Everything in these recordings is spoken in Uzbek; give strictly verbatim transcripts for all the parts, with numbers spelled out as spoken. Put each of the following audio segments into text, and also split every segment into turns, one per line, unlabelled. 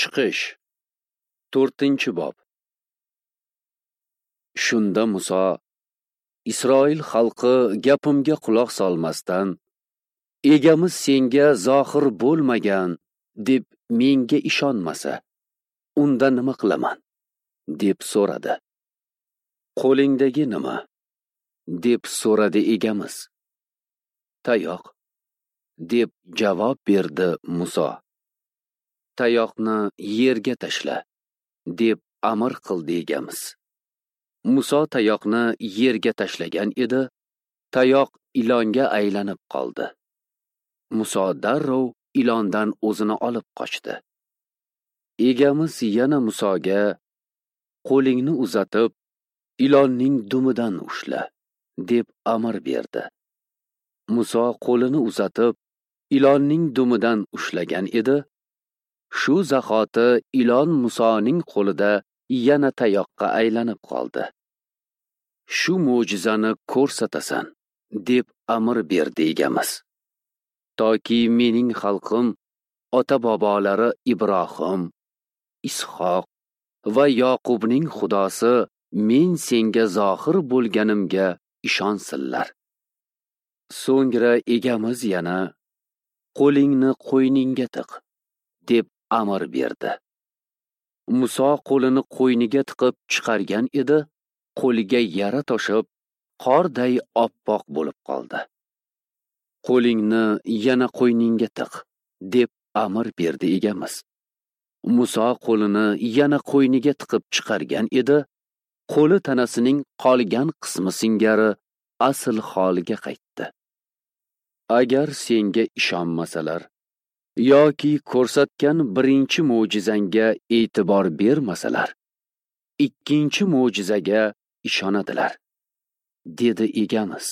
Chiqish to'rtinchi bob. Shunda Muso Isroil xalqi gapimga quloq solmasdan, egamiz senga zohir bo'lmagan deb menga ishonmasa, unda nima qilaman? Deb so'radi. Qo'lingdagi nima? Deb so'radi egamiz. Tayoq, deb javob berdi Muso. Tayoqni yerga tashla, deb amr qildi egamiz. Muso tayoqni yerga tashlagan edi, tayoq ilonga aylanib qoldi. Muso darrov ilondan o'zini olib qochdi. Egamiz yana Musoga: qo'lingni uzatib, ilonning dumidan ushla, deb amr berdi. Muso qo'lini uzatib, ilonning dumidan ushlagan edi. Shu zahoti ilon Musoning qo'lida yana tayoqqa aylanib qoldi. Shu mo'jizani ko'rsatasan, deb amr berdi egamiz. Toki mening xalqim ota-bobolari Ibrohim, Ishoq va Yoqubning Xudosi men senga zohir bo'lganimga ishonsinlar. So'ngra egamiz yana: qo'lingni qo'yningga tiq, deb amr berdi. Muso qo'lini qo'yniga tiqib chiqargan edi, qo'liga yara toshib, qorday oppoq bo'lib qoldi. Qo'lingni yana qo'yningga tiq, deb amr berdi egamiz. Muso qo'lini yana qo'yniga tiqib chiqargan edi, qo'li tanasining qolgan qismi singari asl holiga qaytdi. Agar senga ishonmasalar yoki ko'rsatgan birinchi mo'jizangga e'tibor bermasalar, ikkinchi mo'jizaga ishonadilar, dedi egamiz.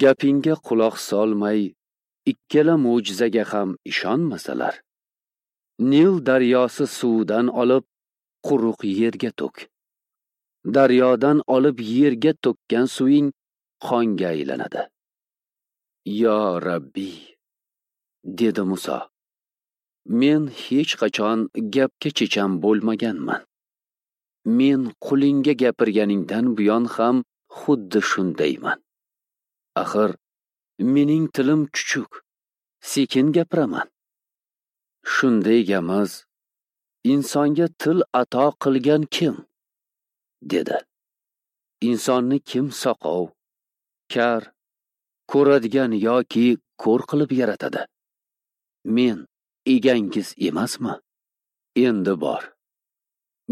Gapingga quloq solmay, ikkala mo'jizaga ham ishonmasalar, Nil daryosi suvidan olib quruq yerga to'k. Daryodan olib yerga to'kkan suving qonga aylanadi. Yo Rabbi, dedi Muso, men hech qachon gapga chechan bo'lmaganman. Men qulingga gapirganingdan buyon ham xuddi shundayman. Axir mening tilim chuchuk, sekin gapiraman. Shunda egamiz: insonga til ato qilgan kim? Dedi. Insonni kim soqov, kar, ko'radigan yoki ko'r qilib yaratadi? Men egangiz emasmi? Endi bor.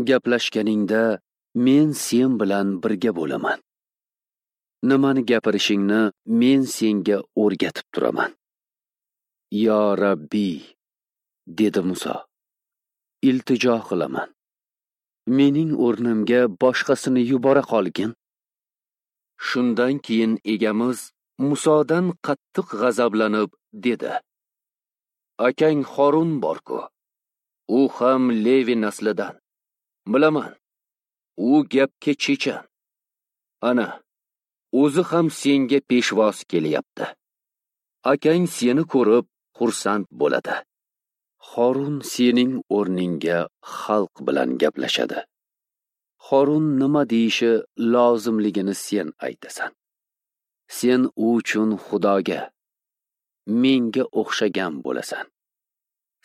Gaplashganingda men sen bilan birga bo'laman. Nimani gapirishingni men senga o'rgatib turaman. Yo Rabbi, dedi Muso, iltijo qilaman. Mening o'rnimga boshqasini yubora qolgin. Shundan keyin egamiz Musodan qattiq g'azablanib dedi: akang Horun bor-ku, u ham Levi naslidan. Bilaman, u gapga chechan. Ana, o'zi ham senga peshvoz kelyapti. Akang seni ko'rib xursand bo'ladi. Horun sening o'rningga xalq bilan gaplashadi. Horun nima deyishi lozimligini sen aytasan. Sen u uchun Xudoga, menga o'xshagan bo'lasan.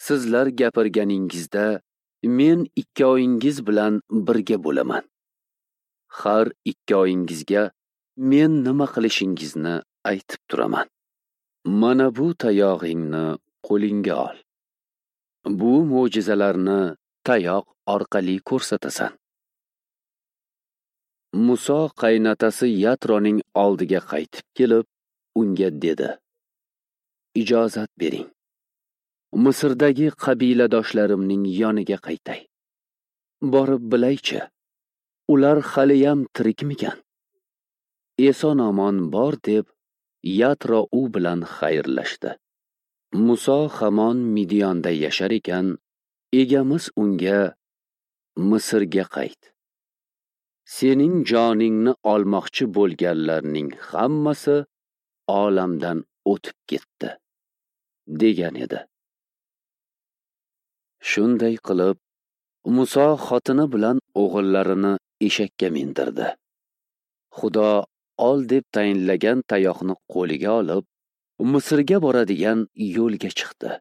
Sizlar gapirganingizda men ikkovingiz bilan birga bo'laman. Har ikkovingizga men nima qilishingizni aytib turaman. Mana bu tayog'ingni qo'lingga ol. Bu mo'jizalarni tayoq orqali ko'rsatasan. Muso qaynotasi Yatroning oldiga qaytib kelib, unga dedi: ijozat bering. Misrdagi qabiladoshlarimning yoniga qaytay. Borib bilaychi, ular haliyam tirikmikan? Eson-omon bor, deb Yatro u bilan xayrlashdi. Muso hamon Midyonda yashar ekan, egamiz unga: Misrga qayt. Sening joningni olmoqchi bo'lganlarning hammasi olamdan o'tib ketdi, degan edi. Shunday qilib, Muso xotini bilan o'g'illarini eshakka mindirdi. Xudo ol deb tayinlagan tayoqni qo'liga olib, Misrga boradigan yo'lga chiqdi.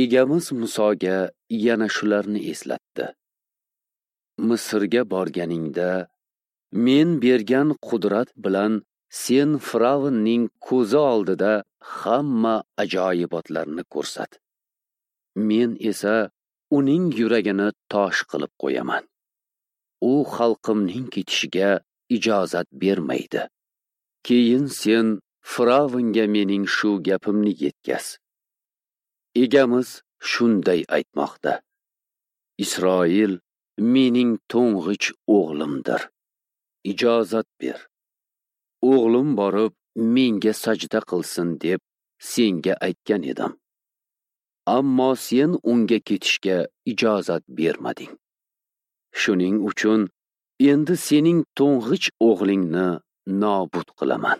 Egamiz Musoga yana shularni eslatdi. Misrga borganingda men bergan qudrat bilan sen Firavnning ko'zi oldida hamma ajoyibotlarni ko'rsat. Men esa uning yuragini tosh qilib qo'yaman. U xalqimning ketishiga ijozat bermaydi. Keyin sen Firavnga mening shu gapimni yetkaz. Egamiz shunday aytmoqda: Isroil mening to'ng'ich o'g'limdir. Ijozat ber. O'g'lim borib menga sajda qilsin deb senga aytgan edim. Ammo sen unga ketishga ijozat bermading. Shuning uchun endi sening to'ng'ich o'g'lingni nobud qilaman.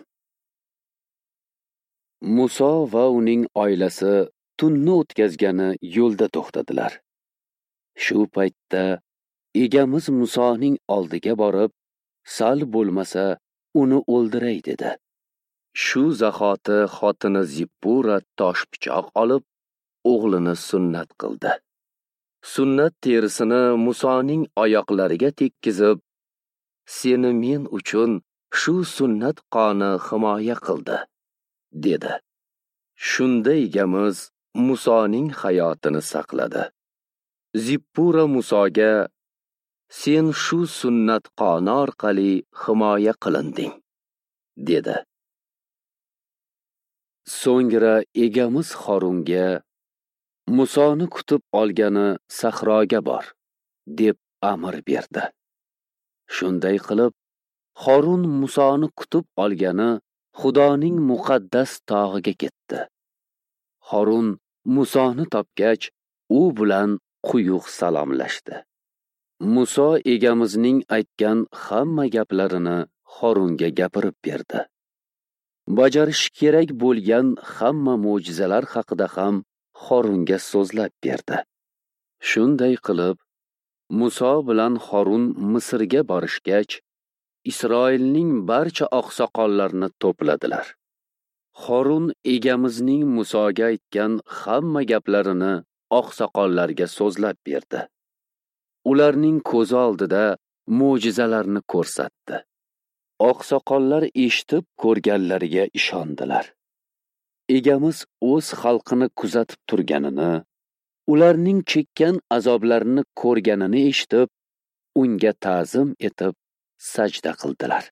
Muso va uning oilasi tunni o'tkazgani yo'lda to'xtadilar. Shu paytda egamiz Musoning oldiga borib, sal bo'lmasa uni o'ldiray dedi. Shu zahoti xotini Zippura tosh pichoq olib, o'g'lini sunnat qildi. Sunnat terisini Musoning oyoqlariga tekkizib, seni men uchun shu sunnat qoni himoya qildi, dedi. Shunda egamiz Musoning hayotini saqladi. Zippura Musoga: sen shu sunnat qoni orqali himoya qilinding, dedi. So'ngra egamiz Xorunga: Musoni kutib olgani sahroga bor, deb amr berdi. Shunday qilib, Xorun Musoni kutib olgani Xudoning muqaddas tog'iga ketdi. Xorun Musoni topgach, u bilan quyuq salomlashdi. Muso egamizning aytgan hamma gaplarini Xorunga gapirib berdi. Bajarish kerak bo'lgan hamma mo'jizalar haqida ham Xorunga so'zlab berdi. Shunday qilib, Muso bilan Xorun Misrga borishgach, Isroilning barcha oqsoqollarini to'pladilar. Xorun egamizning Musoga aytgan hamma gaplarini oqsoqollarga so'zlab berdi. Ularning ko'zi oldida mo'jizalarni ko'rsatdi. Oqsoqollar eshitib ko'rganlariga ishondilar. Egamiz o'z xalqini kuzatib turganini, ularning chekkan azoblarini ko'rganini eshitib, unga ta'zim etib sajda qildilar.